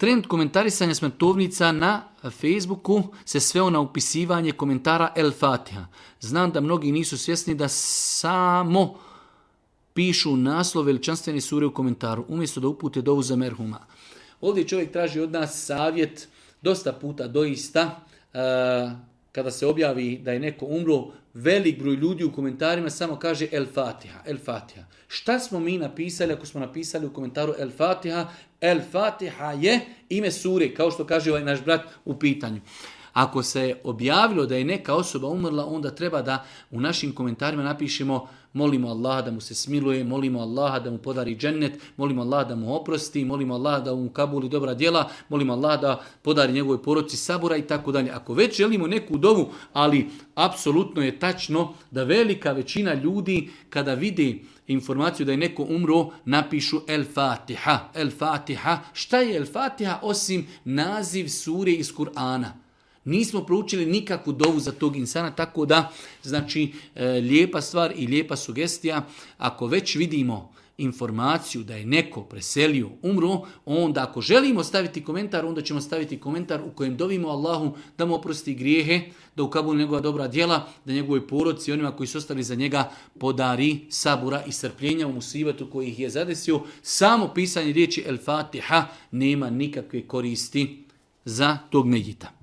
Trend komentarisanja smrtovnica na Facebooku se sveo na upisivanje komentara El Fatiha. Znam da mnogi nisu svjesni da samo pišu naslov veličanstvene sure u komentaru, umjesto da upute dovu za merhuma. Ovdje čovjek traži od nas savjet, dosta puta doista, kada se objavi da je neko umro, velik broj ljudi u komentarima samo kaže El Fatiha, El Fatiha. Šta smo mi napisali ako smo napisali u komentaru El Fatiha? El Fatiha je ime sure, kao što kaže ovaj naš brat u pitanju. Ako se objavilo da je neka osoba umrla, onda treba da u našim komentarima napišemo molimo Allaha da mu se smiluje, molimo Allaha da mu podari džennet, molimo Allaha da mu oprosti, molimo Allaha da mu kabuli dobra djela, molimo Allaha da podari njegovoj porodici sabura i tako dalje. Ako već želimo neku dovu, ali apsolutno je tačno da velika većina ljudi kada vidi informaciju da je neko umro, napišu El Fatiha. El Fatiha. Šta je El Fatiha osim naziv sure iz Kur'ana? Nismo proučili nikakvu dovu za tog insana, tako da, znači, lijepa stvar i lijepa sugestija. Ako već vidimo informaciju da je neko preselio, umro, onda ako želimo staviti komentar, onda ćemo staviti komentar u kojem dovimo Allahu da mu oprosti grijehe, da ukabuli njegova dobra djela, da njegovoj porodici i onima koji su ostali za njega podari sabura i strpljenja u musibetu koji ih je zadesio. Samo pisanje riječi El Fatiha nema nikakve koristi za tog medjita.